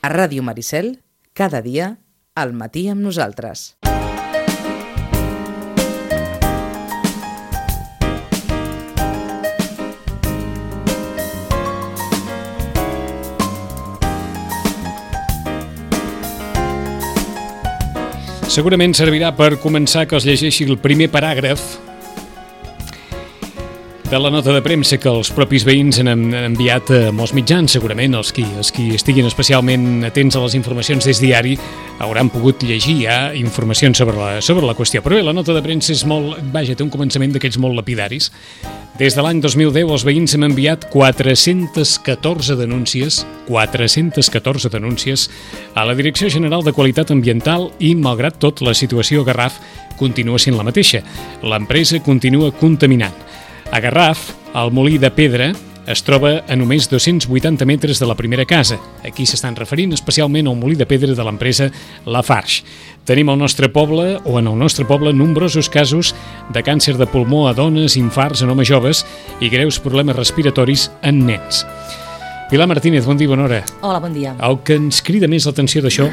A Ràdio Maricel, cada dia, al matí amb nosaltres. Segurament servirà per començar que us llegeixi el primer paràgraf de la nota de premsa que els propis veïns han enviat a molts mitjans. Segurament els qui estiguin especialment atents a les informacions des diari hauran pogut llegir ja informacions sobre la qüestió. Però bé, la nota de premsa és té un començament d'aquells molt lapidaris. Des de l'any 2010 els veïns hem enviat 414 denúncies a la Direcció General de Qualitat Ambiental i, malgrat tot, la situació a Garraf continua sent la mateixa. L'empresa continua contaminant. A Garraf, el molí de pedra es troba a només 280 metres de la primera casa. Aquí s'estan referint especialment al molí de pedra de l'empresa Lafarge. Tenim en el nostre poble nombrosos casos de càncer de pulmó a dones, infarts en homes joves i greus problemes respiratoris en nens. Pilar Martínez, bon dia, bona hora. Hola, bon dia. El que ens crida més l'atenció d'això,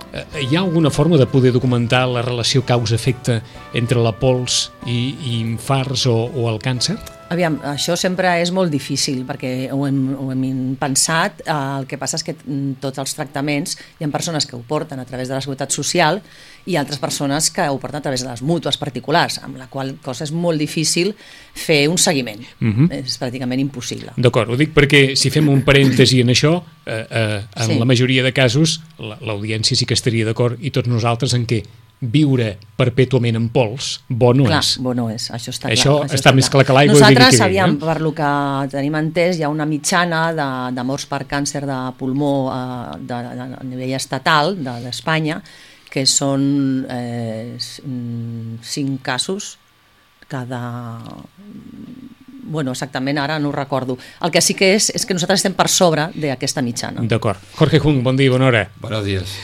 hi ha alguna forma de poder documentar la relació causa-efecte entre la pols i infarts o el càncer? Aviam, això sempre és molt difícil perquè ho hem pensat. El que passa és que tots els tractaments hi ha persones que ho porten a través de la Seguretat Social i altres persones que ho porten a través de les mútues particulars, amb la qual cosa és molt difícil fer un seguiment. És pràcticament impossible. D'acord, ho dic perquè si fem un parèntesi en això, en la majoria de casos l'audiència sí que estaria d'acord i tots nosaltres en què viure perpètuament en pols, bo no és. Bo no és, això està clar. Això està més clar que l'aigua. Nosaltres, per lo que tenim entès, hi ha una mitjana de morts per càncer de pulmó a nivell estatal d'Espanya, que són 5 casos cada... Bueno, exactament, ara no ho recordo. El que sí que és que nosaltres estem per sobre d'aquesta mitjana. D'acord. Jorge Jung, bon dia, bona hora. Buenos días.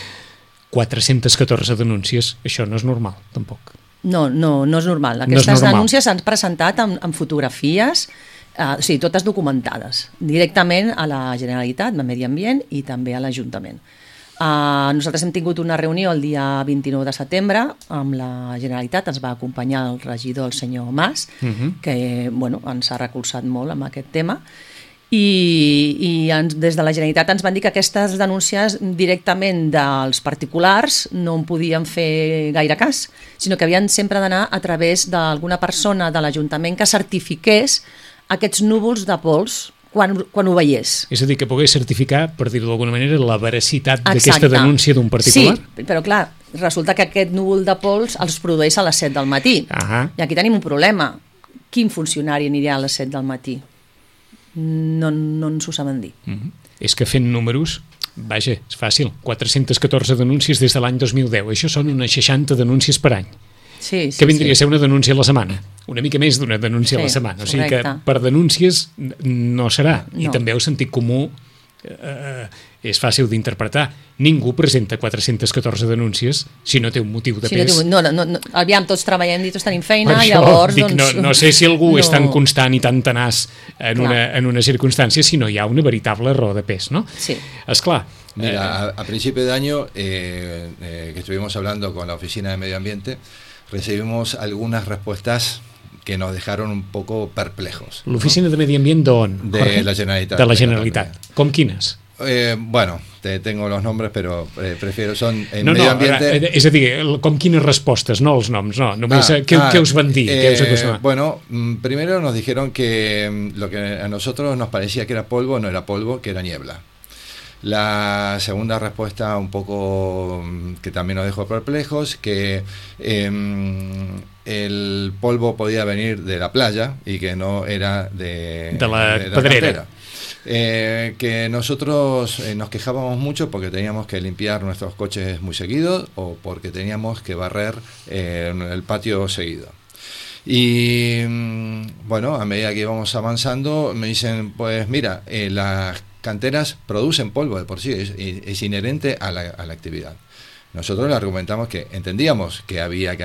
414 denúncies, això no és normal, tampoc. No és normal. Aquestes denúncies s'han presentat amb fotografies, totes documentades, directament a la Generalitat, de Medi Ambient, i també a l'Ajuntament. Nosaltres hem tingut una reunió el dia 29 de setembre amb la Generalitat, ens va acompanyar el regidor, el senyor Mas, que ens ha recolzat molt amb aquest tema, i des de la Generalitat ens van dir que aquestes denúncies directament dels particulars no en podien fer gaire cas, sinó que havien sempre d'anar a través d'alguna persona de l'Ajuntament que certifiqués aquests núvols de pols quan ho veiés. És a dir, que pogués certificar, per dir-ho d'alguna manera, la veracitat d'aquesta denúncia d'un particular? Sí, però clar, resulta que aquest núvol de pols els produeix a les 7 del matí. I aquí tenim un problema. Quin funcionari anirà a les 7 del matí? No ens ho saben dir. És que fent números, vaja, és fàcil, 414 denúncies des de l'any 2010, això són unes 60 denúncies per any. Sí, que vindria a ser una denúncia a la setmana, una mica més d'una denúncia a la setmana, o sigui que per denúncies no serà, i també el sentit comú és fàcil d'interpretar. Ningú presenta 414 denúncies si no té un motiu de pes. Aviam, tots treballem i tots tenim feina, llavors... No sé si algú és tan constant i tan tenaç en una circunstància si no hi ha una veritable raó de pes, ¿no? Sí. Esclar. Mira, a principio de año que estuvimos hablando con la Oficina de Medio Ambiente, recibimos algunas respuestas que nos dejaron un poco perplejos. L'Oficina de Medi Ambient d'on? De la Generalitat. De la Generalitat. Com quines? Bueno, tengo los nombres, pero prefiero son en Medio Ambiente. És a dir, com quines respostes, no els noms, no. Només què us van dir? Bueno, primero nos dijeron que lo que a nosotros nos parecía que era polvo, no era polvo, que era niebla. La segunda respuesta, un poco que también nos dejó perplejos, que el polvo podía venir de la playa y que no era de la pedrera. Que nosotros nos quejábamos mucho porque teníamos que limpiar nuestros coches muy seguido o porque teníamos que barrer el patio seguido. Y bueno, a medida que íbamos avanzando me dicen, pues mira, las canteras producen polvo de por sí, es inherente a la actividad. Nosotros le argumentamos que entendíamos que había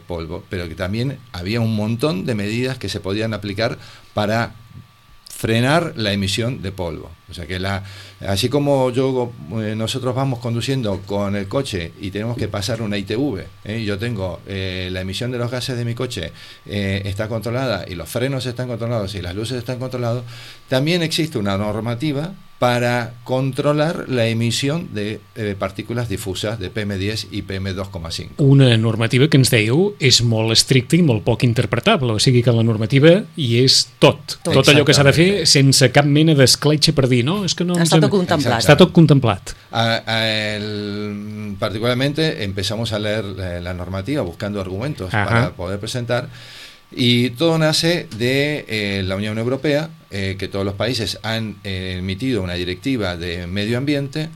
polvo, pero que también había un montón de medidas que se podían aplicar para frenar la emisión de polvo. O sea que así como nosotros vamos conduciendo con el coche y tenemos que pasar una ITV, yo tengo la emisión de los gases de mi coche está controlada y los frenos están controlados y las luces están controladas, también existe una normativa para controlar la emisión de partícules difusas de PM10 i PM2,5. Una normativa que ens dèieu és molt estricta i molt poc interpretable, o sigui que la normativa hi és tot allò que s'ha de fer sense cap mena d'escletxa per dir, no, és que no... Està tot contemplat. Està tot contemplat. Particularmente empezamos a leer la normativa buscando argumentos para poder presentar. Y todo nace de la Unión Europea, que todos los países han emitido una directiva de medio ambiente.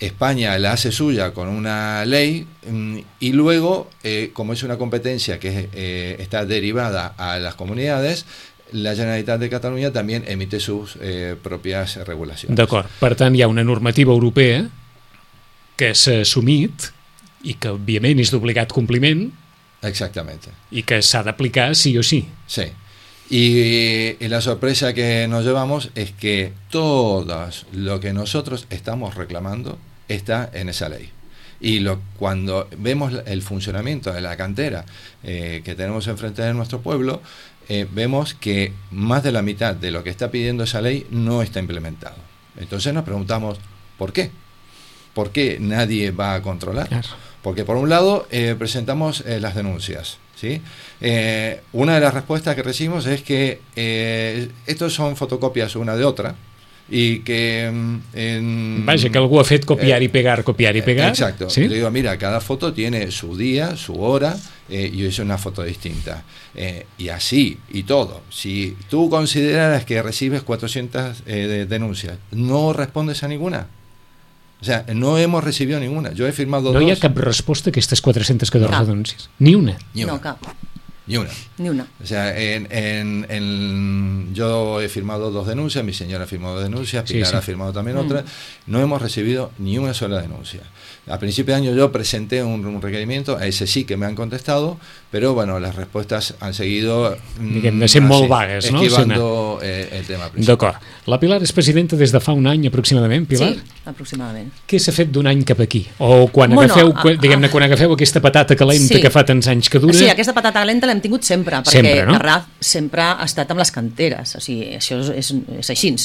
España la hace suya con una ley y luego, como es una competencia que está derivada a las comunidades, la Generalitat de Catalunya també emite sus pròpies regulacions. D'acord, per tant hi ha una normativa europea que s'ha assumit i que òbviament és d'obligat compliment. Exactamente. Y que se ha de aplicar sí o sí. Sí. Y la sorpresa que nos llevamos es que todo lo que nosotros estamos reclamando está en esa ley. Y cuando vemos el funcionamiento de la cantera que tenemos enfrente de nuestro pueblo, vemos que más de la mitad de lo que está pidiendo esa ley no está implementado. Entonces nos preguntamos, ¿por qué? ¿Por qué nadie va a controlar? Claro. Porque por un lado presentamos las denuncias, ¿sí? Una de las respuestas que recibimos es que estos son fotocopias una de otra y que... Vaja, que algú ha fet copiar y pegar. Exacto. ¿Sí? Le digo, mira, cada foto tiene su día, su hora y es una foto distinta. Y así, y todo. Si tú consideras que recibes 400 denuncias, ¿no respondes a ninguna? O sea, no hemos recibido ninguna. Yo he firmado dos. No hi ha cap resposta a aquestes 414 denúncies? Ni una? No, cap. Ni una. Ni una. O sea, yo he firmado 2 denuncias, mi señora ha firmado 2 denuncias, Pilar ha firmado también otra. No hemos recibido ni una sola denuncia. A principio de año yo presenté un requerimiento, a ese sí que me han contestado, pero bueno, las respuestas han seguido de ser molt vagues, no? Esquivando el tema principal. D'acord. La Pilar és presidenta des de fa un any aproximadament, Pilar? Sí, aproximadament. Què s'ha fet d'un any cap aquí? O quan agafeu aquesta patata calenta que fa tants anys que dura... Sí, aquesta patata calenta l'hem tingut sempre, perquè Garraf sempre ha estat amb les canteres, o sigui, això és així.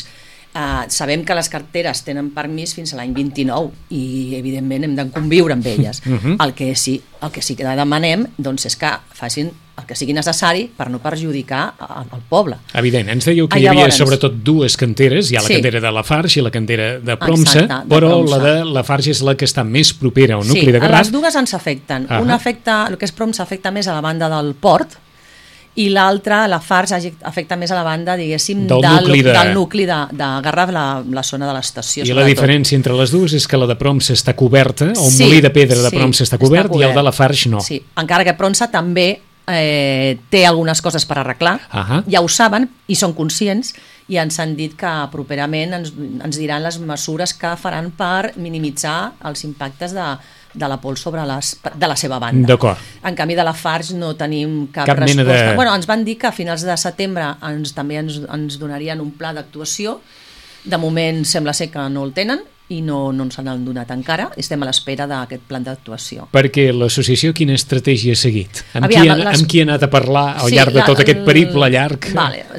Sabem que les carteres tenen permís fins a l'any 29 i evidentment hem de conviure amb elles. El que sí que demanem doncs, és que facin el que sigui necessari per no perjudicar el poble. Evident, ens dèieu que hi havia sobretot 2 canteres, hi ha la cantera de Lafarge i la cantera de Promsa, però la de Lafarge és la que està més propera al nucli de Garraf. Les dues ens afecten. Una afecta, el que és Promsa afecta més a la banda del port, i l'altra, la Lafarge, afecta més a la banda, diguéssim, del nucli de Garraf, la zona de l'estació. I la diferència entre les dues és que la de Promsa està coberta, o un molí de pedra de Promsa està cobert, i el de Lafarge no. Sí, encara que Promsa també té algunes coses per arreglar, ja ho saben i són conscients, i ens han dit que properament ens diran les mesures que faran per minimitzar els impactes de la pols sobre de la seva banda. D'acord. En canvi, de Lafarge no tenim cap resposta. Bueno, ens van dir que a finals de setembre també ens donarien un pla d'actuació. De moment sembla ser que no el tenen i no ens han donat encara. Estem a l'espera d'aquest pla d'actuació. Perquè l'associació quina estratègia ha seguit? Amb qui ha anat a parlar al llarg de tot aquest periple llarg?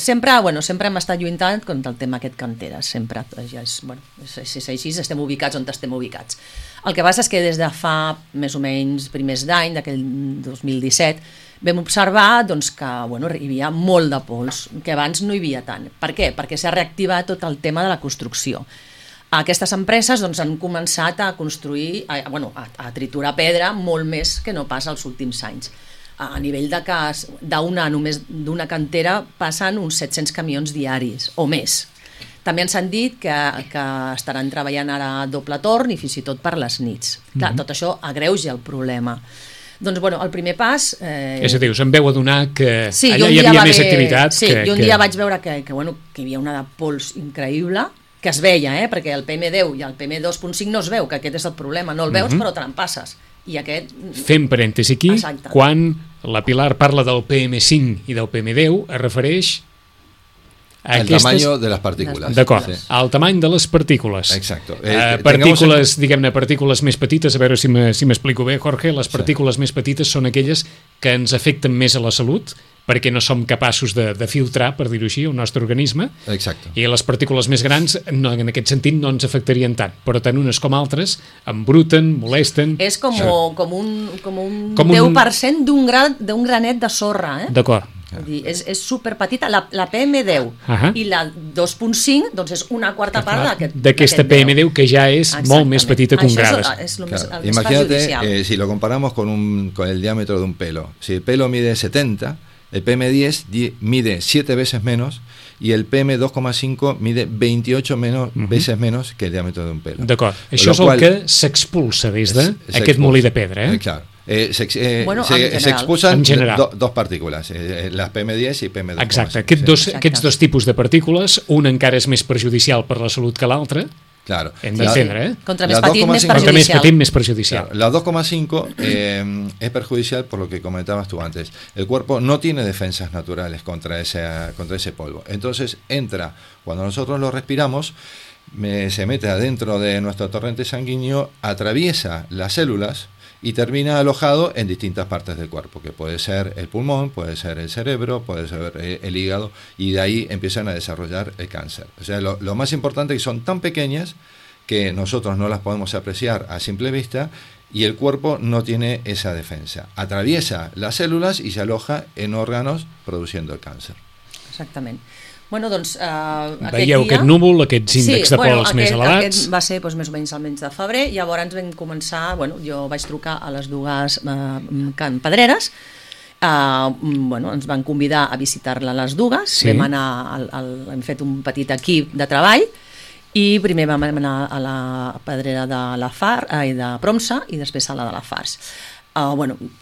Sempre hem estat lluitant contra el tema aquest canteres. Sempre. És així, estem ubicats on estem ubicats. El que passa és que des de fa més o menys primers d'any, d'aquell 2017, vam observar que hi havia molt de pols, que abans no hi havia tant. Per què? Perquè s'ha reactivat tot el tema de la construcció. Aquestes empreses han començat a construir, a triturar pedra molt més que no pas als últims anys. A nivell de cas, només d'una cantera passen uns 700 camions diaris o més. També ens han dit que estaran treballant ara a doble torn i fins i tot per les nits. Clar, tot això agreuja el problema. Doncs, el primer pas... És a dir, us en veu adonar que allà hi havia més activitat. Sí, jo un dia vaig veure que hi havia una de pols increïble, que es veia, perquè el PM10 i el PM2.5 no es veu, que aquest és el problema. No el veus, però te l'empasses. Fem parèntesi aquí, quan la Pilar parla del PM5 i del PM10, es refereix El tamaño de les partícules. D'acord, el tamany de les partícules. Exacto. Partícules, diguem-ne, partícules més petites, a veure si m'explico bé, Jorge, les partícules més petites són aquelles que ens afecten més a la salut, perquè no som capaços de filtrar, per dir-ho així, el nostre organisme. Exacte. I les partícules més grans, no, en aquest sentit, no ens afectarien tant, però tant unes com altres embruten, molesten... És com un 10% d'un granet de sorra, D'acord. És superpetita, la PM10 i la 2.5 doncs és una quarta part d'aquesta PM10 que ja és molt més petita que un gra. Imagínate, si lo comparamos con el diámetro de un pelo. Si el pelo mide 70, el PM10 mide 7 veces menos y el PM2,5 mide 28 veces menos que el diámetro de un pelo. D'acord, això és el que s'expulsa des d'aquest molí de pedra. Claro. Se expulsan dos partícules, las PM10 i PM2,5. Exacte, aquests dos tipus de partícules, un encara és més perjudicial per la salut que l'altre. Claro. Hem d'entendre, Contra més petit, més perjudicial. La 2,5 es perjudicial por lo que comentabas tú antes. El cuerpo no tiene defensas naturales contra ese polvo. Entonces entra, cuando nosotros lo respiramos, se mete adentro de nuestro torrente sanguíneo, atraviesa las células y termina alojado en distintas partes del cuerpo, que puede ser el pulmón, puede ser el cerebro, puede ser el hígado, y de ahí empiezan a desarrollar el cáncer. O sea, lo más importante es que son tan pequeñas que nosotros no las podemos apreciar a simple vista y el cuerpo no tiene esa defensa. Atraviesa las células y se aloja en órganos produciendo el càncer. Exactament. Bueno, doncs, veieu aquest núvol, aquests índexs de pols més elevats. Aquest va ser més o menys al mes de febrer, llavors vam començar, jo vaig trucar a les dues Can Pedreres, ens van convidar a visitar-la a les dues, hem fet un petit equip de treball, i primer vam anar a la pedrera de Promsa i després a la de la Fars.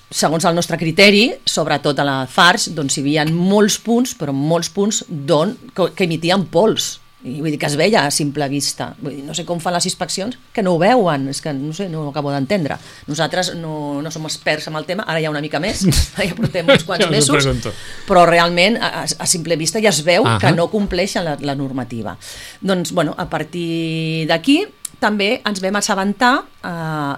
Segons el nostre criteri, sobretot a la Fars, doncs hi havia molts punts, però molts punts que emitien pols. I vull dir que es veia a simple vista. Vull dir, no sé com fan les inspeccions, que no ho veuen, és que no sé, no ho acabo d'entendre. Nosaltres no som experts en el tema, ara ja una mica més, ja portem uns quants mesos, però realment a simple vista ja es veu que no compleixen la normativa. Doncs, a partir d'aquí, també ens vam assabentar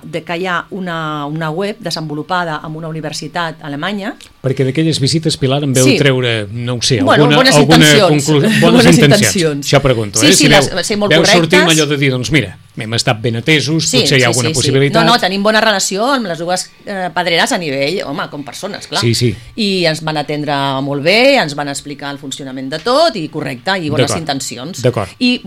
de que hi ha una web desenvolupada en una universitat alemanya. Perquè d'aquelles visites, Pilar, em veu treure, no ho sé, bones intencions. Això pregunto. Sí, ser molt correctes. Veu sortir amb allò de dir, doncs mira, hem estat ben atesos, potser hi ha alguna possibilitat. No, tenim bona relació amb les dues pedreres a nivell, com persones, clar. I ens van atendre molt bé, ens van explicar el funcionament de tot, i correcte, i bones intencions. D'acord. I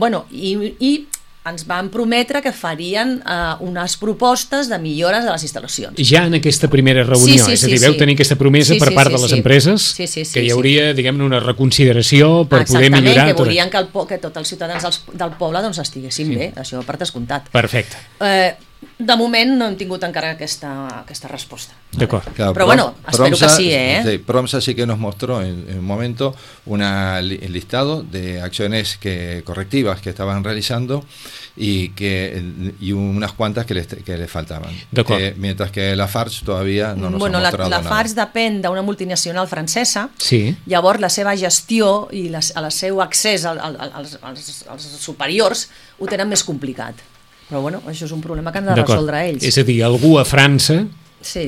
ens van prometre que farien unes propostes de millores de les instal·lacions. Ja en aquesta primera reunió, és a dir, veu tenir aquesta promesa per part de les empreses, que hi hauria, diguem-ne, una reconsideració per poder millorar. Exactament, que volien que tots els ciutadans del poble estiguessin bé, això per descomptat. Perfecte. De moment no hem tingut encara aquesta respuesta. D'acord. Claro, pero bueno, espero que sí, Promsa sí que nos mostró en un momento un listado de acciones correctivas que estaban realizando y unas cuantas que les faltaban. Mientras que la Fars todavía no nos ha mostrado nada. La Fars depèn d'una multinacional francesa, sí. Llavors la seva gestió i el seu accés als superiors ho tenen més complicat. Però això és un problema que han de resoldre ells. És a dir, algú a França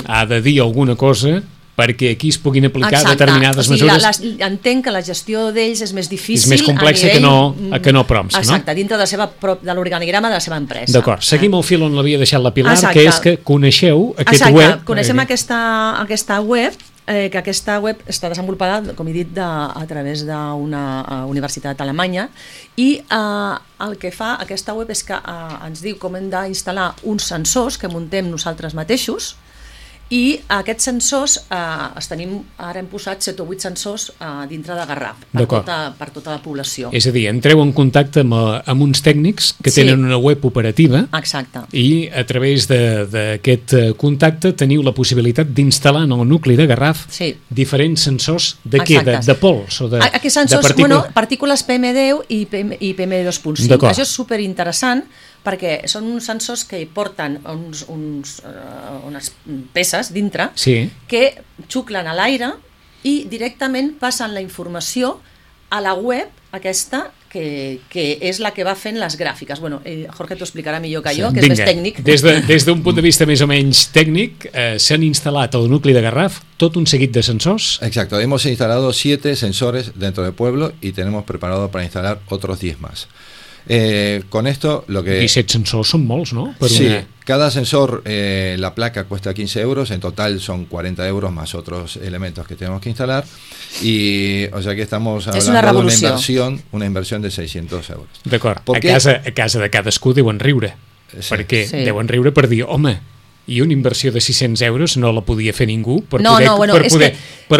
ha de dir alguna cosa perquè aquí es puguin aplicar determinades mesures. Entenc que la gestió d'ells és més difícil. És més complexa que no Promsa, no? Exacte, dintre de l'organigrama de la seva empresa. D'acord, seguim el fil on l'havia deixat la Pilar, que és que coneixeu aquest web. Exacte, coneixem aquesta web, que aquesta web està desenvolupada, com he dit, a través d'una universitat alemanya, i el que fa aquesta web és que ens diu com hem d'instal·lar uns sensors que muntem nosaltres mateixos, i aquests sensors ara hem posat 7 o 8 sensors dintre de Garraf per tota la població. És a dir, entreu en contacte amb uns tècnics que tenen una web operativa. Exacte. I a través d'aquest contacte teniu la possibilitat d'instal·lar en el nucli de Garraf diferents sensors de què? De pols o de partícules? Partícules PM10 i PM2.5. Això és superinteressant perquè són uns sensors que hi porten unes peces dintre que xuclen a l'aire i directament passen la informació a la web aquesta, que és la que va fent les gràfiques. Bueno, Jorge t'ho explicarà millor que jo, que Vinga, és més tècnic. Des d'un punt de vista més o menys tècnic, s'han instal·lat al nucli de Garraf tot un seguit de sensors. Exacto, hemos instalado 7 sensores dentro del pueblo y tenemos preparado para instalar otros 10 más. Con esto lo que... 17 sensors són molts, no? Sí, cada sensor, la placa cuesta 15 euros, en total son 40 euros más otros elementos que tenemos que instalar, y o sea que estamos hablando de una inversión de 600 euros. D'acord, a casa de cadascú deuen riure, perquè deuen riure per dir, home, i una inversió de 600 euros no la podia fer ningú per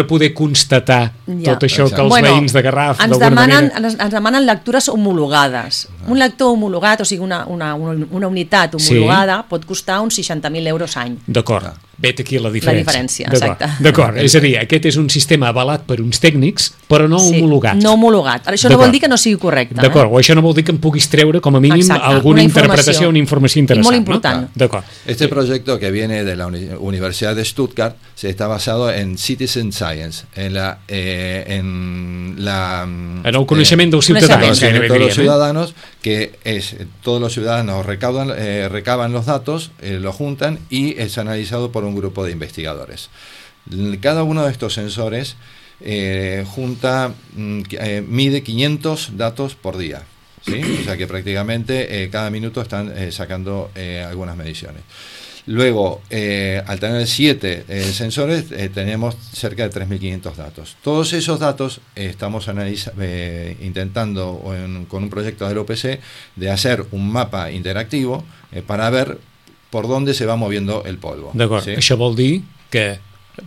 poder constatar tot això que els veïns de Garraf d'alguna manera... Ens demanen lectures homologades. Un lector homologat, o sigui una unitat homologada, pot costar uns 60.000 euros any. D'acord, vet aquí la diferència. La diferència, exacte. D'acord, és a dir, aquest és un sistema avalat per uns tècnics, però no homologat. No homologat. Això no vol dir que no sigui correcte. D'acord, o això no vol dir que em puguis treure com a mínim alguna interpretació, una informació interessant. I molt important. D'acord. Este proyecto que viene de la Universidad de Stuttgart se está basado en Citizen Science, en el coneixement dels ciutadans. Todos los ciudadanos, que es todos los ciudadanos recaban los datos, los juntan y es analizado por un grupo de investigadores. Cada uno de estos sensores mide 500 datos por día, ¿sí? O sea que prácticamente cada minuto están sacando algunas mediciones. Luego, al tener 7 sensores, tenemos cerca de 3.500 datos. Todos esos datos estamos intentando, con un proyecto del OPC, de hacer un mapa interactivo para ver por dónde se va moviendo el polvo. D'acord, ¿sí? Això vol dir que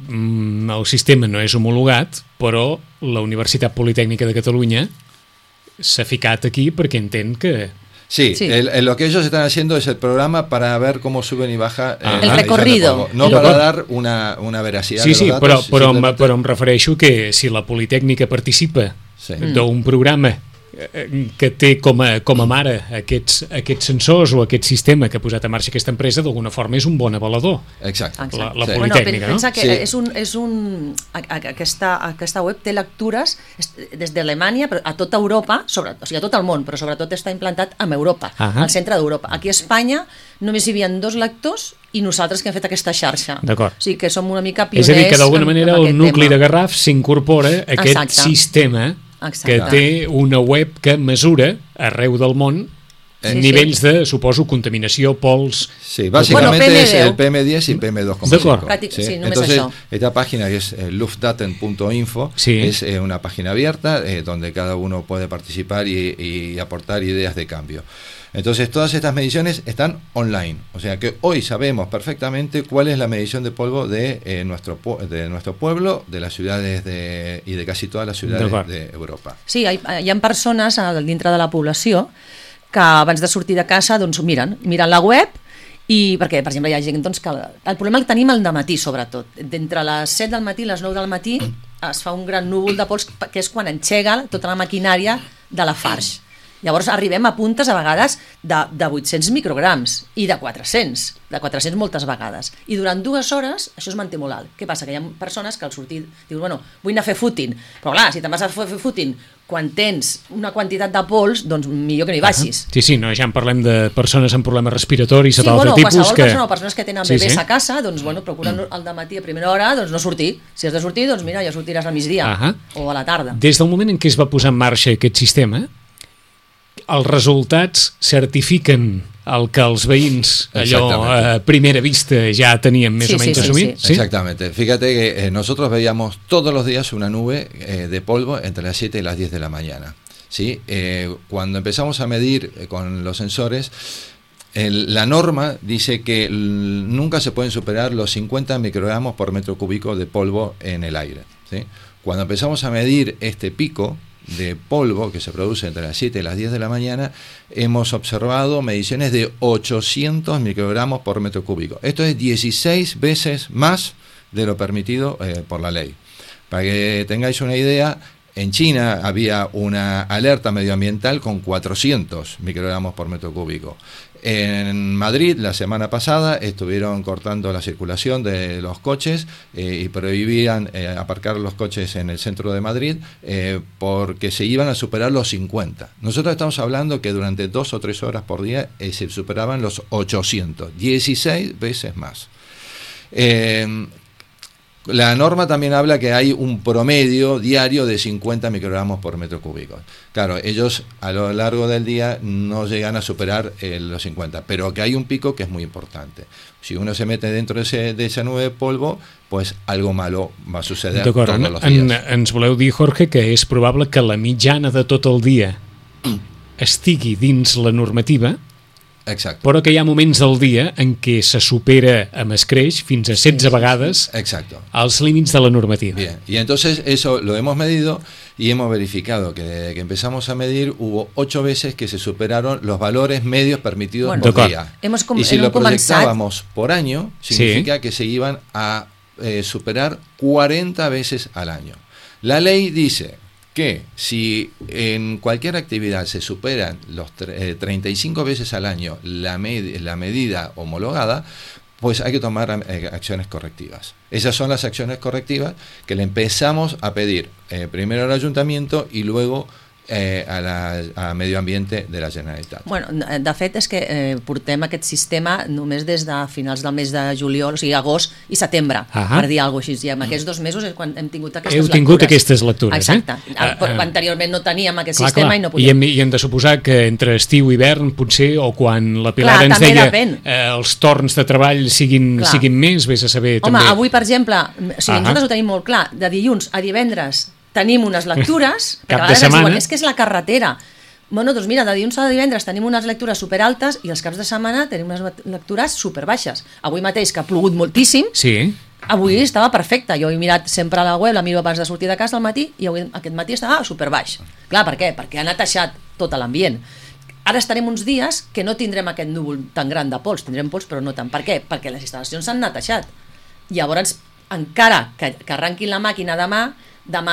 el sistema no és homologat, però la Universitat Politècnica de Catalunya s'ha ficat aquí perquè entén que... Sí. Lo que ellos están haciendo es el programa para ver cómo suben y baja el recorrido. No para dar una veracidad de los datos. Però em refereixo que si la Politècnica participa d'un programa que té com a mare aquests sensors o aquest sistema que ha posat en marxa aquesta empresa, d'alguna forma és un bon avalador. Exacte. La Politècnica, no? Pensa que aquesta web té lectures des d'Alemanya a tota Europa, o sigui a tot el món, però sobretot està implantat en Europa, al centre d'Europa. Aquí a Espanya només hi havia 2 lectors i nosaltres que hem fet aquesta xarxa. D'acord. O sigui que som una mica pioners. És a dir, que d'alguna manera el nucli de Garraf s'incorpora a aquest sistema que té una web que mesura arreu del món nivells de, suposo, contaminació, pols... Sí, básicamente es el PM10 y PM2,5. Sí, entonces, esta página que es luftdaten.info es una página abierta donde cada uno puede participar y aportar ideas de cambio. Entonces todas estas mediciones están online, o sea que hoy sabemos perfectamente cuál es la medición de polvo de nuestro pueblo, de las ciudades y de casi todas las ciudades de Europa. Sí, hi ha persones dintre de la població que abans de sortir de casa doncs miren la web, i perquè per exemple hi ha gent doncs, que el problema el tenim al dematí sobretot, d'entre les 7 del matí i les 9 del matí es fa un gran núvol de pols que és quan engega tota la maquinària de la Farge. Llavors arribem a puntes a vegades de 800 micrograms i de 400 moltes vegades. I durant 2 hores això es manté molt alt. Què passa? Que hi ha persones que al sortir diuen, bueno, vull anar a fer footing, però clar, si te'n vas a fer footing quan tens una quantitat de pols, doncs millor que no hi vagis. Sí, no, ja en parlem de persones amb problemes respiratoris o d'altre tipus. Qualsevol persona o persones que tenen bebès a casa, doncs bueno, procuren al dematí a primera hora doncs no sortir. Si has de sortir, doncs mira, ja sortiràs al migdia o a la tarda. Des del moment en què es va posar en marxa aquest sistema, els resultats certifiquen el que els veïns allò a primera vista ya tenían más o menos asumir. Sí. Exactamente. Fíjate que nosotros veíamos todos los días una nube de polvo entre las 7 y las 10 de la mañana. ¿Sí? Cuando empezamos a medir con los sensores, la norma dice que nunca se pueden superar los 50 microgramos por metro cúbico de polvo en el aire. ¿Sí? Cuando empezamos a medir este pico de polvo que se produce entre las 7 y las 10 de la mañana, hemos observado mediciones de 800 microgramos por metro cúbico. Esto es 16 veces más de lo permitido por la ley. Para que tengáis una idea, en China había una alerta medioambiental con 400 microgramos por metro cúbico. En Madrid, la semana pasada, estuvieron cortando la circulación de los coches y prohibían aparcar los coches en el centro de Madrid porque se iban a superar los 50. Nosotros estamos hablando que durante 2 o 3 horas por día se superaban los 800, 16 veces más. La norma también habla que hay un promedio diario de 50 microgramos por metro cúbico. Claro, ellos a lo largo del día no llegan a superar los 50, pero que hay un pico que es muy importante. Si uno se mete dentro de esa nube de polvo, pues algo malo va a suceder todos los días. Ens voleu dir, Jorge, que és probable que la mitjana de tot el dia estigui dins la normativa. Exacto. Però que hi ha moments del dia en què se supera amb escreix fins a 16 vegades els límits de la normativa. Bien, y entonces eso lo hemos medido y hemos verificado que desde que empezamos a medir hubo 8 veces que se superaron los valores medios permitidos por día. Y si lo proyectábamos por año, significa que se iban a superar 40 veces al año. La ley dice que si en cualquier actividad se superan los 35 veces al año la medida homologada, pues hay que tomar acciones correctivas. Esas son las acciones correctivas que le empezamos a pedir primero al Ayuntamiento y luego a Medio Ambiente de la Generalitat. Bueno, de fet és que portem aquest sistema només des de finals del mes de juliol, o sigui, agost i setembre, per dir alguna cosa així. I en aquests 2 mesos és quan hem tingut aquestes lectures. Heu tingut aquestes lectures, exacte. Anteriorment no teníem aquest sistema i no podíem. I hem de suposar que entre estiu i hivern, potser, o quan la Pilar ens deia els torns de treball siguin més, vés a saber també. Home, avui, per exemple, nosaltres ho tenim molt clar, de dilluns a divendres tenim unes lectures, cap de setmana. És que és la carretera. Bueno, doncs mira, de dilluns a divendres tenim unes lectures superaltes i els caps de setmana tenim unes lectures superbaixes. Avui mateix, que ha plogut moltíssim, avui estava perfecte. Jo he mirat sempre a la web, la miro abans de sortir de casa al matí, i avui, aquest matí estava superbaix. Clar, per què? Perquè ha netejat tot l'ambient. Ara estarem uns dies que no tindrem aquest núvol tan gran de pols, tindrem pols però no tant. Per què? Perquè les instal·lacions s'han netejat. Llavors, encara que arrenquin la màquina demà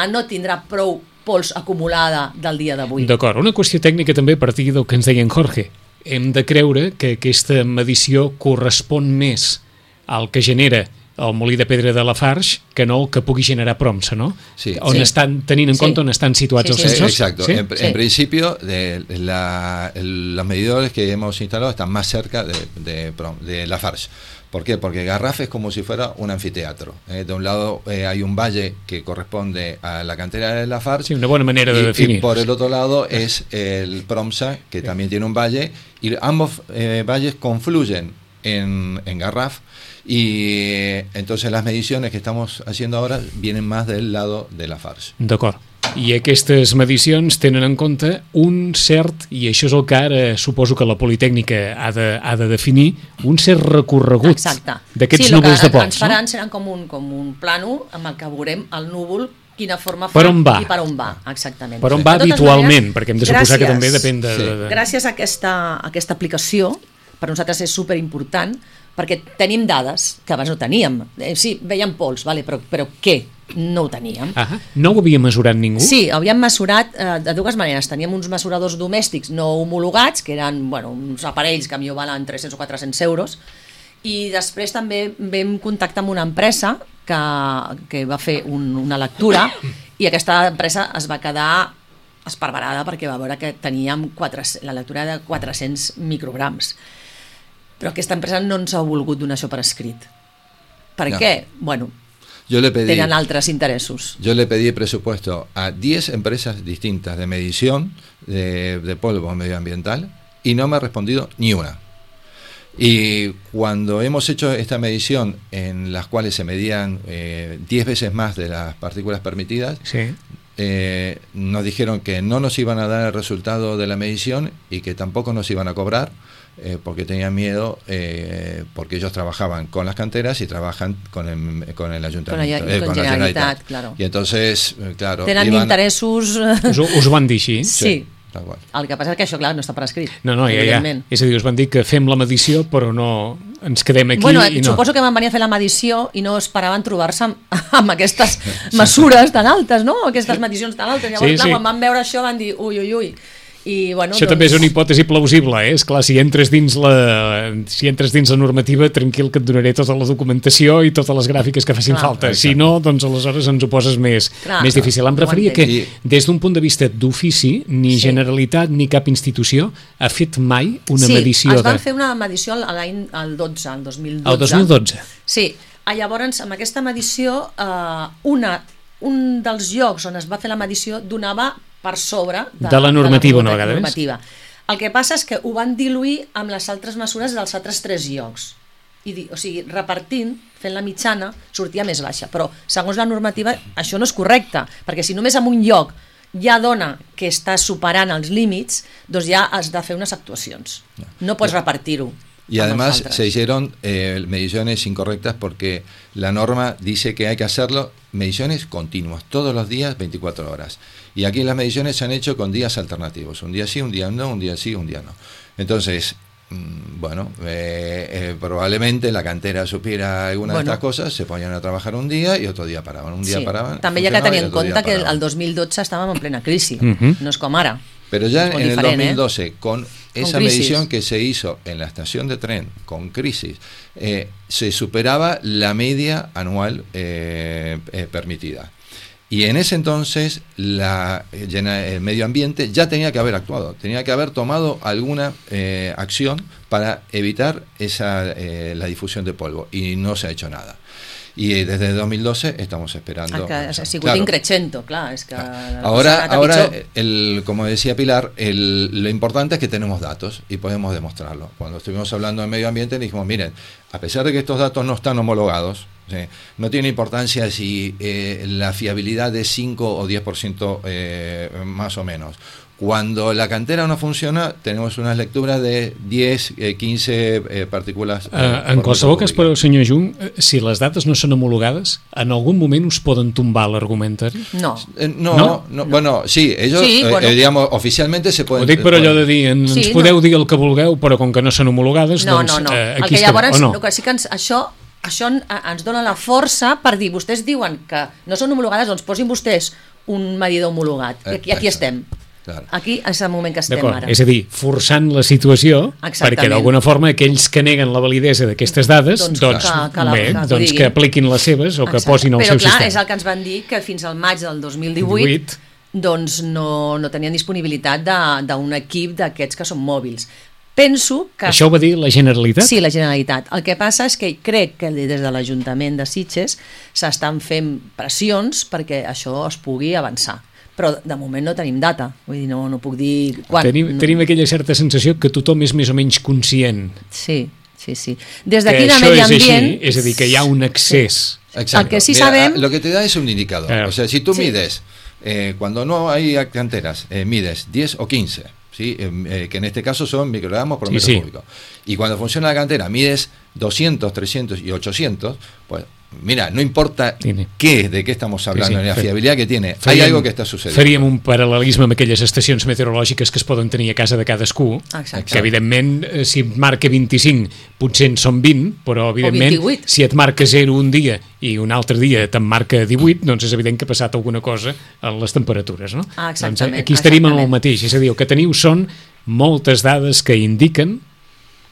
no tindrà prou pols acumulada del dia d'avui. D'acord, una qüestió tècnica també a partir del que ens deia en Jorge. Hem de creure que aquesta medició correspon més al que genera el molí de pedra de Lafarge que no el que pugui generar Promsa, ¿no? Sí. On estan tenint en compte on estan situats els sensors. Exacto. ¿Sí? En principio, los medidores que hemos instalado están más cerca de Lafarge. ¿Por qué? Porque Garraf es como si fuera un anfiteatro. De un lado hay un valle que corresponde a la cantera de Lafarge. Sí, una buena manera de definir. Y por el otro lado es el Promsa, que también tiene un valle, y ambos valles confluyen en Garraf, y entonces las mediciones que estamos haciendo ahora vienen más del lado de Lafarge. D'acord. I aquestes medicions tenen en compte un cert, i això és el que ara suposo que la Politècnica ha de definir, un cert recorregut d'aquests núvols de pols. Sí, el que ens faran seran com un plànol amb el que veurem el núvol, quina forma fa per on va. I per on va, exactament. Per on va habitualment, perquè hem de suposar que també depèn de... Gràcies a aquesta aplicació, per nosaltres és superimportant, perquè tenim dades que abans no teníem. Sí, veiem pols, però què? No ho teníem. No ho havia mesurat ningú? Sí, havíem mesurat de dues maneres. Teníem uns mesuradors domèstics no homologats, que eren uns aparells que a mi valen 300 o 400 euros, i després també vam contactar amb una empresa que va fer una lectura, i aquesta empresa es va quedar esparverada perquè va veure que teníem la lectura de 400 micrograms. Però aquesta empresa no ens ha volgut donar això per escrit. Per què? Bueno, tenían altos intereses. Yo le pedí presupuesto a 10 empresas distintas de medición de polvo medioambiental y no me ha respondido ni una. Y cuando hemos hecho esta medición en las cuales se medían 10 veces más de las partículas permitidas, nos dijeron que no nos iban a dar el resultado de la medición y que tampoco nos iban a cobrar, porque tenían miedo, porque ellos trabajaban con las canteras y trabajan con el ayuntamiento, con la Generalitat, claro. Y entonces, claro, tenen interessos... Us ho van dir així? Sí. El que passa és que això, clar, no està per escrit. No, ja. És a dir, us van dir que fem la medició, però no ens quedem aquí. Bueno, suposo que van venir a fer la medició i no esperaven trobar-se amb aquestes mesures tan altes, no? Aquestes medicions tan altes. Llavors, clar, quan van veure això van dir ui. I, bueno, això també és una hipòtesi plausible, eh? Esclar, si entres dins la normativa, tranquil que et donaré tota la documentació i totes les gràfiques que facin falta. Si no, doncs aleshores ens ho poses més difícil. Em referia que des d'un punt de vista d'ofici, ni Generalitat ni cap institució ha fet mai una medició. Sí, es van fer una medició el 2012. El 2012? Sí, llavors amb aquesta medició un dels llocs on es va fer la medició donava per sobre de la normativa una vegada més. El que passa és que ho van diluir amb les altres mesures dels altres 3 llocs. O sigui, repartint, fent la mitjana, sortia més baixa. Però, segons la normativa, això no és correcte, perquè si només en un lloc ja dona que està superant els límits, doncs ja has de fer unes actuacions. No pots repartir-ho. Y además se hicieron mediciones incorrectas porque la norma dice que hay que hacerlo mediciones continuas, todos los días, 24 horas. Y aquí las mediciones se han hecho con días alternativos, un día sí, un día no, un día sí, un día no. Entonces, bueno, probablemente la cantera supiera alguna de estas cosas, se ponían a trabajar un día y otro día paraban. Un día paraban. També hi ha que tenir en compte que el 2012 estàvem en plena crisi, no és com ara. Pero ya en el 2012, con esa medición que se hizo en la estación de tren con crisis, se superaba la media anual permitida. Y en ese entonces el medio ambiente ya tenía que haber actuado, tenía que haber tomado alguna acción para evitar la difusión de polvo, y no se ha hecho nada. Y desde 2012 estamos esperando. Ha sigut increixendo, clar. És que ahora como decía Pilar, lo importante es que tenemos datos y podemos demostrarlo. Cuando estuvimos hablando de medio ambiente dijimos, miren, a pesar de que estos datos no están homologados, ¿sí?, no tiene importancia si la fiabilidad es 5 o 10% más o menos. Cuando la cantera no funciona, tenemos unes lectures de 10, 15 partícules. En qualsevol cas, però, senyor Jung, si les dates no són homologades, en algun moment us poden tombar l'argumentari? No. Bueno, sí, ellos, digamos, oficialmente se pueden... Ho dic per allò de dir, ens podeu dir el que vulgueu, però com que no són homologades, doncs aquí estem, o no? Sí que això ens dona la força per dir, vostès diuen que no són homologades, doncs posin vostès un medidor homologat, i aquí estem. Aquí és el moment que estem ara. És a dir, forçant la situació perquè d'alguna forma aquells que neguen la validesa d'aquestes dades doncs que apliquin les seves o que posin el seu sistema. Però clar, és el que ens van dir que fins al maig del 2018 doncs no tenien disponibilitat d'un equip d'aquests que són mòbils. Penso que... Això ho va dir la Generalitat? Sí, la Generalitat. El que passa és que crec que des de l'Ajuntament de Sitges s'estan fent pressions perquè això es pugui avançar. Però de moment no tenim data, vull dir, no puc dir quan. Tenim aquella certa sensació que tothom és més o menys conscient. Sí. Des d'aquí de Medi Ambient... És a dir, que hi ha un excés. El que sí sabem... Lo que te da es un indicador. O sea, si tú mides, cuando no hay canteras, mides 10 o 15, ¿sí? Que en este caso son microgramos por metro cúbico. Y cuando funciona la cantera, mides 200, 300 y 800, pues... Mira, no importa de qué estamos hablando, la fiabilitat que tiene, hay algo que està sucedint. Faríem un paral·lelisme amb aquelles estacions meteorològiques que es poden tenir a casa de cadascú, que evidentment si et marca 25 potser en són 20, però evidentment si et marca 0 un dia i un altre dia te'n marca 18, doncs és evident que ha passat alguna cosa en les temperatures, no? Doncs aquí estaríem en el mateix, és a dir, el que teniu són moltes dades que indiquen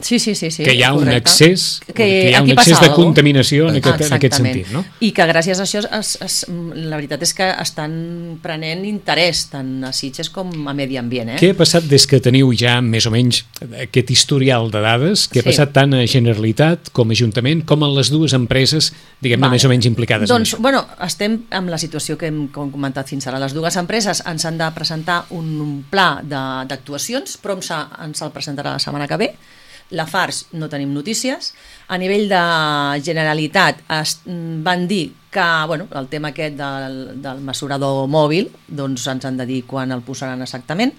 que hi ha un excés de contaminació en aquest sentit, no? I que gràcies a això la veritat és que estan prenent interès tant a Sitges com a Medi Ambient. Què ha passat des que teniu ja més o menys aquest historial de dades? Què ha passat tant a Generalitat com a Ajuntament com a les dues empreses, diguem-ne, més o menys implicades en això? Doncs, bueno, estem amb la situació que hem comentat fins ara. Les dues empreses ens han de presentar un pla d'actuacions, però ens el presentarà la setmana que ve. La FARS no tenim notícies. A nivell de Generalitat van dir que el tema aquest del mesurador mòbil doncs ens han de dir quan el posaran exactament,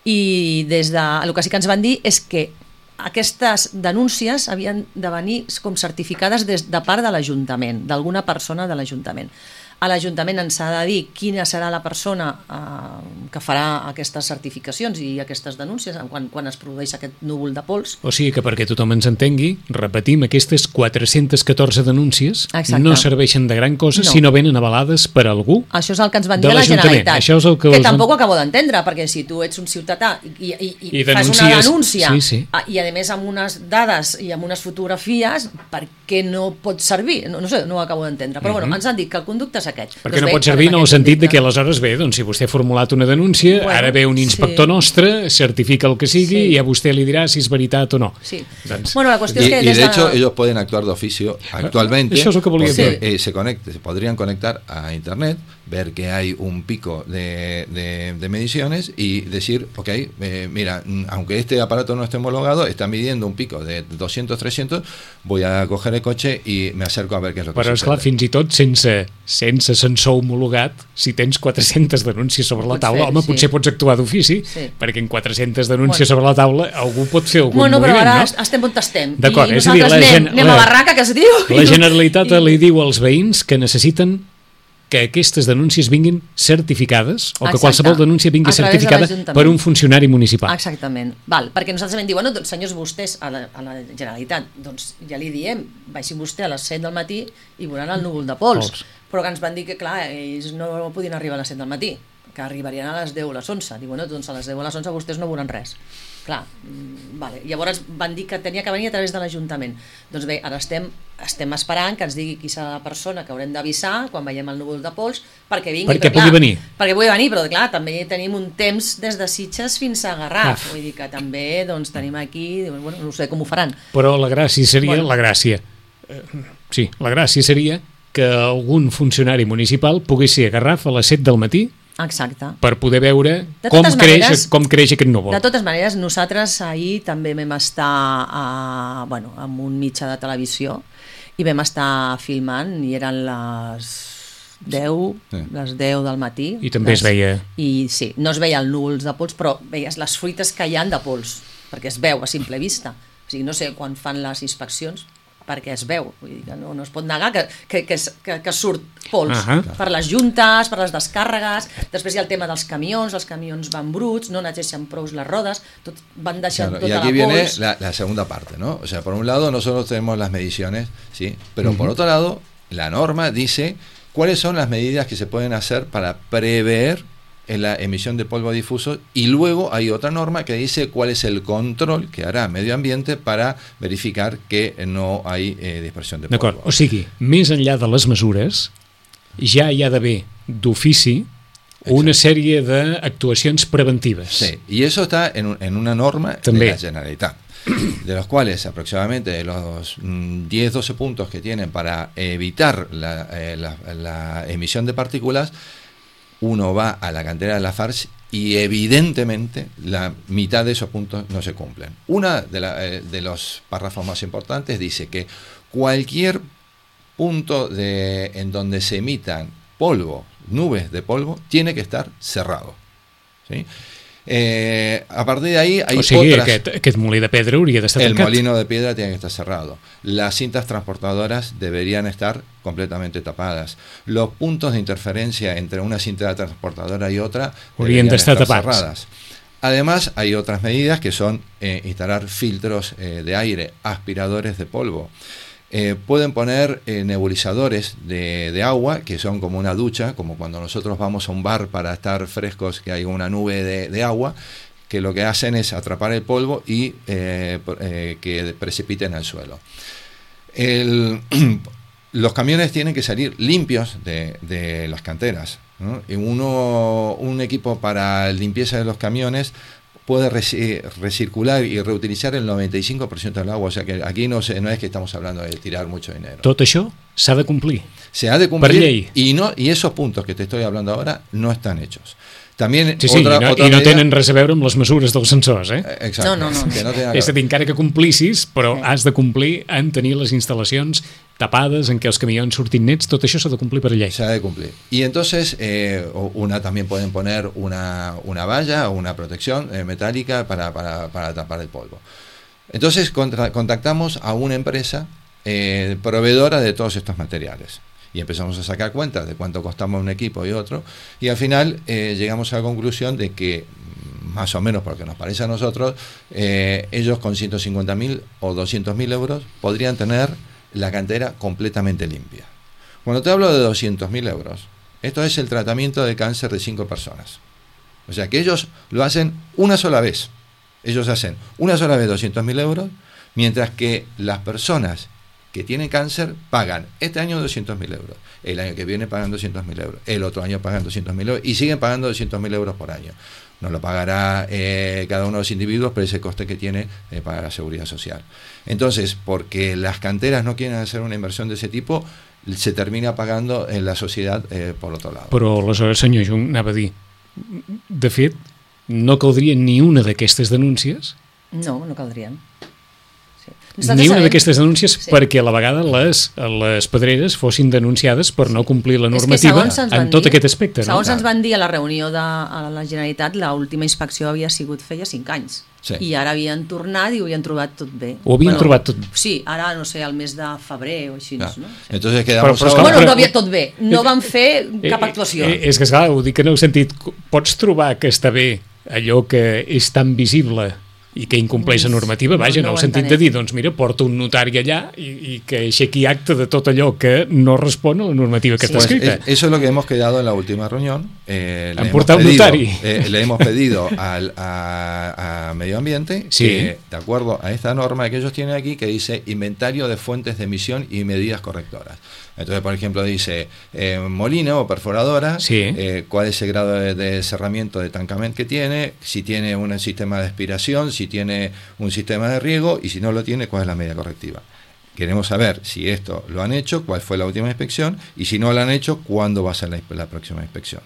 i el que sí que ens van dir és que aquestes denúncies havien de venir com certificades de part de l'Ajuntament, d'alguna persona de l'Ajuntament. a l'Ajuntament ens ha de dir quina serà la persona que farà aquestes certificacions i aquestes denúncies quan es produeix aquest núvol de pols. O sigui que perquè tothom ens entengui, repetim, aquestes 414 denúncies no serveixen de gran cosa si no venen avalades per algú. Això és el que ens van dir a la Generalitat, Això és el que tampoc ho acabo d'entendre, perquè si tu ets un ciutadà i fas una denúncia i a més amb unes dades i amb unes fotografies, per què no pot servir? No sé, no ho acabo d'entendre, però bueno, ens han dit que el conducte és aquest. Perquè no pot servir en el sentit de que aleshores bé, doncs si vostè ha formulat una denúncia, ara ve un inspector nostre, certifica el que sigui i a vostè li dirà si és veritat o no. Bueno, la qüestió és que de hecho ellos pueden actuar de oficio actualmente. Eso es lo que volía porque se podrían conectar a internet, ver que hay un pico de mediciones y decir, ok, mira, aunque este aparato no esté homologado, está midiendo un pico de 200, 300, voy a coger el coche i me acerco a ver què és el que Però esclar, fins i tot sense sensor homologat, si tens 400 denúncies sobre la taula, potser pots actuar d'ofici, perquè en 400 denúncies sobre la taula algú pot fer algun moviment, no? Però ara estem on estem. D'acord, és a dir, anem a Barraca, que es diu. La Generalitat li diu als veïns que necessiten que aquestes denúncies vinguin certificades o que qualsevol denúncia vingui certificada per un funcionari municipal. Exactament. Perquè nosaltres vam dir, bueno, doncs senyors, vostès a la Generalitat, doncs ja li diem, baixin vostè a les 7 del matí i veuran el núvol de pols. Però que ens van dir que, clar, ells no podien arribar a les 7 del matí, que arribarien a les 10 o les 11. Diu, bueno, doncs a les 10 o les 11 vostès no veuran res. Clar, vale. Llavors van dir que tenia que venir a través de l'Ajuntament. Doncs bé, ara estem esperant que ens digui qui serà la persona que haurem d'avisar quan veiem el núvol de pols perquè vingui. Perquè pugui venir. Perquè pugui venir, però clar, també tenim un temps des de Sitges fins a Garraf. Vull dir que també doncs, tenim aquí, bueno, no sé com ho faran. Però la gràcia seria, la gràcia seria que algun funcionari municipal pogués ser a Garraf a les 7 del matí. Exacte. Per poder veure com creix aquest núvol. De totes maneres, nosaltres ahir també vam estar amb un mitjà de televisió i vam estar filmant i eren les 10 del matí. I també es veia. I sí, no es veia el núvols de pols, però veies les fruites que hi ha de pols, perquè es veu a simple vista. O sigui, no sé quan fan les inspeccions, perquè es veu, vull dir que no es pot negar que surt pols per les juntes, per les descàrregues. Després hi ha el tema dels camions, els camions van bruts, no neteixen prou les rodes, van deixant tota la pols. Y aquí viene la segunda parte, ¿no? O sea, por un lado nosotros tenemos las mediciones, ¿sí? Pero por otro lado, la norma dice cuáles son las medidas que se pueden hacer para prever en la emisión de polvo difuso, y luego hay otra norma que dice cuál es el control que hará Medio Ambiente para verificar que no hay dispersión de polvo. D'acord, o sigui, més enllà de les mesures, ja hi ha d'haver d'ofici una sèrie d'actuacions preventives. Sí, y eso está en una norma de la Generalitat, de los cuales aproximadamente los 10-12 puntos que tienen para evitar la emisión de partículas. Uno va a la cantera de Lafarge y evidentemente la mitad de esos puntos no se cumplen. Una de los párrafos más importantes dice que cualquier punto en donde se emitan polvo, nubes de polvo, tiene que estar cerrado, ¿sí? A partir de ahí hay aquest molí de pedra hauria d'estar tancat. El molino de piedra tiene que estar cerrado. Las cintas transportadoras deberían estar completamente tapadas. Los puntos de interferencia entre una cinta transportadora y otra deberían estar cerradas. Además, hay otras medidas que son instalar filtros de aire, aspiradores de polvo. Pueden poner nebulizadores de agua, que son como una ducha, como cuando nosotros vamos a un bar para estar frescos, que hay una nube de agua, que lo que hacen es atrapar el polvo y que precipiten al suelo. Los camiones tienen que salir limpios de las canteras, ¿no? Y un equipo para limpieza de los camiones puede recircular y reutilizar el 95% del agua, o sea que aquí no es que estamos hablando de tirar mucho dinero. Tot això s'ha de complir. Se ha de cumplir y esos puntos que te estoy hablando ahora no están hechos. También no tenen res a veure amb les mesures dels sensors, Exacte. No. És a dir, encara que complissis, però has de complir en tenir les instal·lacions tapades, en què els camions surtin nets, tot això s'ha de complir per llei. Se ha de cumplir. Y entonces, también pueden poner una valla o una protección metálica para tapar el polvo. Entonces, contactamos a una empresa proveedora de todos estos materiales. y empezamos a sacar cuentas de cuánto costamos un equipo y otro, y al final llegamos a la conclusión de que, más o menos porque nos parece a nosotros, ellos con 150.000 o 200.000 euros podrían tener la cantera completamente limpia. Cuando te hablo de 200.000 euros, esto es el tratamiento de cáncer de 5 personas. O sea que ellos lo hacen una sola vez. Ellos hacen una sola vez 200.000 euros, mientras que las personas que tienen cáncer pagan este año 200.000 euros, el año que viene pagan 200.000 euros, el otro año pagan 200.000 euros y siguen pagando 200.000 euros por año. No lo pagará cada uno de los individuos, pero ese coste que tiene para la seguridad social. Entonces, porque las canteras no quieren hacer una inversión de ese tipo, se termina pagando en la societat per l'altre lado. Però aleshores, senyor Jung, anava a dir, de fet, no caldria ni una d'aquestes denúncies? No, no caldrien. Ni una d'aquestes denúncies perquè a la vegada les pedreres fossin denunciades per no complir la normativa en tot aquest aspecte. Segons ens van dir a la reunió de la Generalitat, l'última inspecció havia sigut feia 5 anys. Sí. I ara havien tornat i ho havien trobat tot bé. Ho havien trobat tot bé? Sí, ara, no sé, al mes de febrer o així. No? Sí. Entonces quedamos bueno, no havia tot bé. No van fer cap actuació. És que, esclar, ho dic en el sentit, pots trobar que està bé allò que és tan visible i que incompleix la normativa, vaja, en el sentit de dir, doncs mira, porta un notari allà i que aixequi acte de tot allò que no respon a la normativa que està escrita. Eso es lo que hemos quedado en la última reunión. Le hemos pedido a Medio Ambiente, sí, que, de acuerdo a esta norma que ellos tienen aquí, que dice inventario de fuentes de emisión y medidas correctoras. Entonces, por ejemplo, dice molino o perforadora, sí, cuál es el grado de cerramiento de tancament que tiene, si tiene un sistema de aspiración, si tiene un sistema de riego y si no lo tiene, cuál es la medida correctiva. Queremos saber si esto lo han hecho, cuál fue la última inspección y si no lo han hecho, cuándo va a ser la próxima inspección.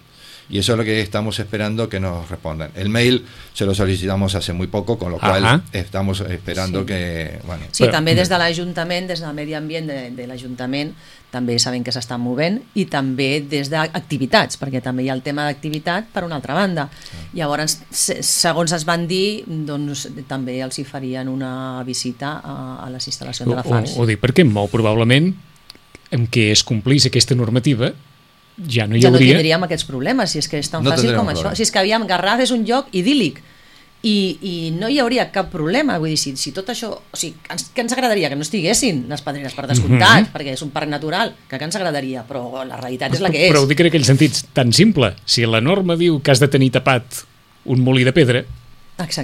Y eso es lo que estamos esperando que nos respondan. El mail se lo solicitamos hace muy poco, con lo cual estamos esperando que... Bueno. Sí, també des de l'Ajuntament, des del Medi Ambient de l'Ajuntament, també sabem que s'estan movent, i també des d'activitats, perquè també hi ha el tema d'activitat per una altra banda. Llavors, segons es van dir, doncs també els hi farien una visita a les instal·lacions de la FARS. Ho dic perquè molt probablement en què es complís aquesta normativa ja no hi hauria... Ja no tindríem aquests problemes, si és que és tan fàcil com això. Si és que Garraf és un lloc idíl·lic i no hi hauria cap problema. Vull dir, si tot això... O sigui, que ens agradaria que no estiguessin les pedreres, per descomptat, perquè és un parc natural, que ens agradaria, però la realitat és la que és. Però ho dic en aquell sentit tan simple. Si la norma diu que has de tenir tapat un molí de pedra,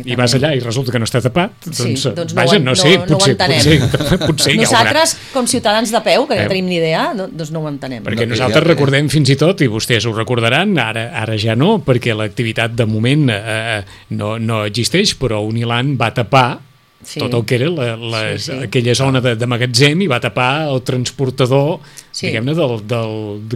i vas allà i resulta que no està tapat, doncs vaja, no sé, potser nosaltres, com ciutadans de peu, que no tenim ni idea, doncs no ho entenem. Perquè nosaltres recordem fins i tot, i vostès ho recordaran, ara ja no, perquè l'activitat de moment no existeix, però Uniland va tapar tot el que era aquella zona de magatzem i va tapar el transportador, diguem-ne,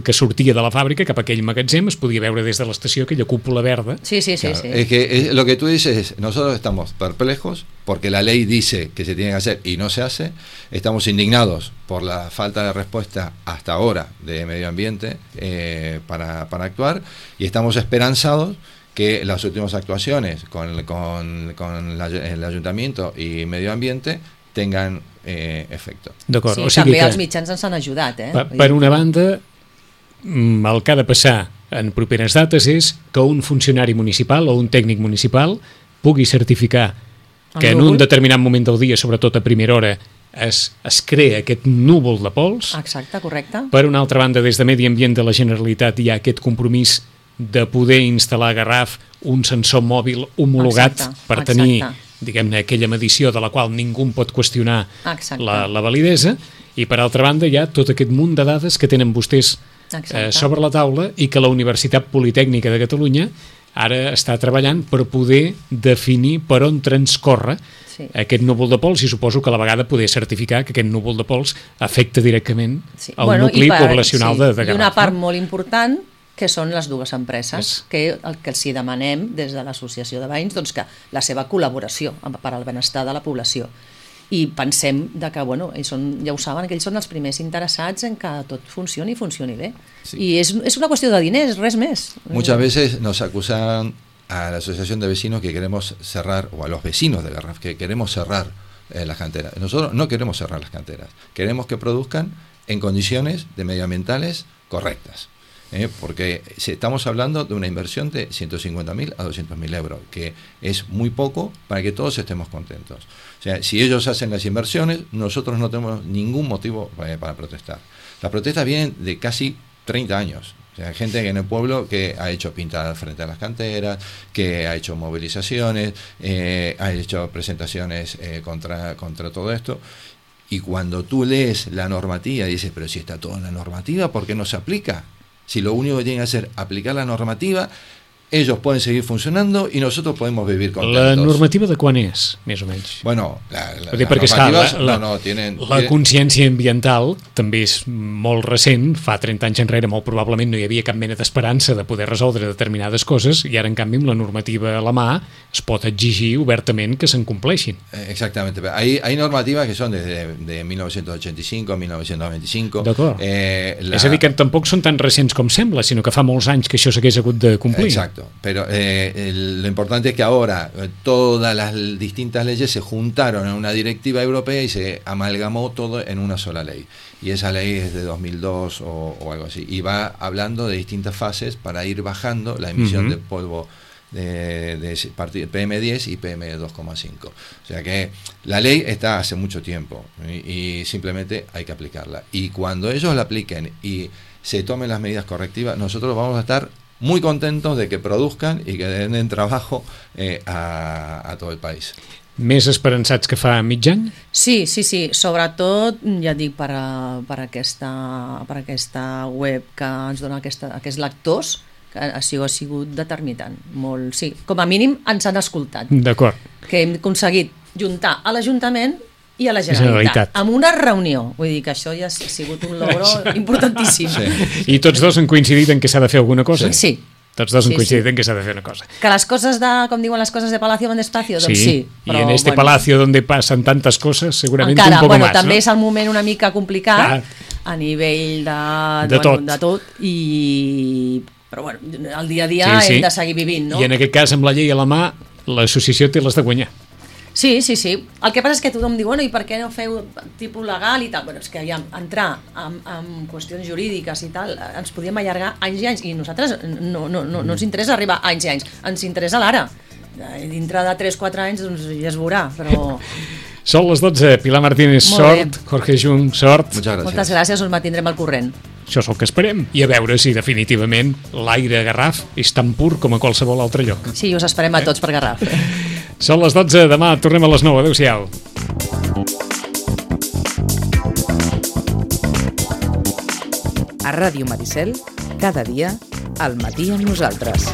que sortia de la fàbrica cap a aquell magatzem, es podia veure des de l'estació aquella cúpula verda. Sí. Claro, es que lo que tú dices es, nosotros estamos perplejos porque la ley dice que se tiene que hacer y no se hace, estamos indignados por la falta de respuesta hasta ahora de Medio Ambiente para actuar, y estamos esperanzados que las últimas actuaciones con el Ayuntamiento y Medio Ambiente tengan efecto. D'acord, sí, o sigui també els mitjans ens han ajudat. Per una banda, el que ha de passar en properes dates és que un funcionari municipal o un tècnic municipal pugui certificar que en un determinat moment del dia, sobretot a primera hora, es crea aquest núvol de pols. Exacte, correcte. Per una altra banda, des de Medi Ambient de la Generalitat hi ha aquest compromís de poder instal·lar a Garraf un sensor mòbil homologat per tenir, diguem-ne, aquella medició de la qual ningú pot qüestionar la validesa, i per altra banda hi ha tot aquest munt de dades que tenen vostès sobre la taula i que la Universitat Politècnica de Catalunya ara està treballant per poder definir per on transcorre aquest núvol de pols, i suposo que a la vegada poder certificar que aquest núvol de pols afecta directament el nucli poblacional de Garraf. I una part molt important, que són les dues empreses, que el que els demanem des de l'Associació de Veïns, doncs que la seva col·laboració per al benestar de la població. I pensem que, bueno, ja ho saben, que ells són els primers interessats en que tot funcioni i funcioni bé. I és una qüestió de diners, res més. Muchas veces nos acusan a la Asociación de Vecinos que queremos cerrar, o a los vecinos de Garraf, que queremos cerrar las canteras. Nosotros no queremos cerrar las canteras, queremos que produzcan en condiciones de medioambientales correctas. Porque estamos hablando de una inversión de 150.000 a 200.000 euros, que es muy poco para que todos estemos contentos. O sea, si ellos hacen las inversiones, nosotros no tenemos ningún motivo para protestar. Las protestas vienen de casi 30 años. O sea, gente que en el pueblo que ha hecho pintadas frente a las canteras, que ha hecho movilizaciones, ha hecho presentaciones contra todo esto. Y cuando tú lees la normativa y dices, pero si está todo en la normativa, ¿por qué no se aplica? Si lo único que tienen que hacer es aplicar la normativa, ellos pueden seguir funcionando i nosaltres podem vivir contentos. La normativa de quan és, més o menys? Bueno, perquè la consciència ambiental també és molt recent, fa 30 anys enrere molt probablement no hi havia cap mena d'esperança de poder resoldre determinades coses i ara en canvi amb la normativa a la mà es pot exigir obertament que se'n compleixin. Exactamente, hay normativas que son de 1985 a 1995. D'acord, és a dir que tampoc són tan recents com sembla, sinó que fa molts anys que això s'hagués hagut de complir. Exacto. Pero lo importante es que ahora todas las distintas leyes se juntaron en una directiva europea y se amalgamó todo en una sola ley. Y esa ley es de 2002 o algo así. Y va hablando de distintas fases para ir bajando la emisión de polvo de PM10 y PM2,5. O sea que la ley está hace mucho tiempo y simplemente hay que aplicarla. Y cuando ellos la apliquen y se tomen las medidas correctivas, nosotros vamos a estar muy contentos de que produzcan i que den trabajo a tot el país. Més esperançats que fa mig any? Sí, sobretot, ja dic, per aquesta web que ens dona aquests lectors, que ha sigut determinant. Molt, sí, com a mínim ens han escoltat. D'acord. Que hem aconseguit juntar a l'Ajuntament i a la Generalitat, amb una reunió. Vull dir que això ja ha sigut un logro importantíssim. Sí. I tots dos han coincidit en que s'ha de fer alguna cosa? Sí. Tots dos han coincidit en que s'ha de fer una cosa. Que les coses com diuen les coses de Palacio van despacio, doncs sí. Però, y en este palacio donde pasan tantas cosas, seguramente encara, un poco más, també ¿no? és el moment una mica complicat a nivell de tot, però bueno, el dia a dia hem de seguir vivint, no? I en aquest cas, amb la llei a la mà, l'associació té les de guanyar. Sí. El que passa és que tothom diu, bueno, i per què no feu tipus legal i tal? Bueno, és que entrar en qüestions jurídiques i tal, ens podíem allargar anys i anys, i nosaltres no ens interessa arribar anys i anys, ens interessa l'ara. Dintre de 3-4 anys doncs ja es veurà, però... Són les 12, Pilar Martínez, sort, Jorge Jung, sort. Moltes gràcies, us mantindrem al corrent. Això és el que esperem, i a veure si definitivament l'aire a Garraf és tan pur com a qualsevol altre lloc. Sí, us esperem a tots per Garraf. Són les 12, demà tornem a les 9, adeu-siau. A Ràdio Maricel, cada dia, al matí amb nosaltres.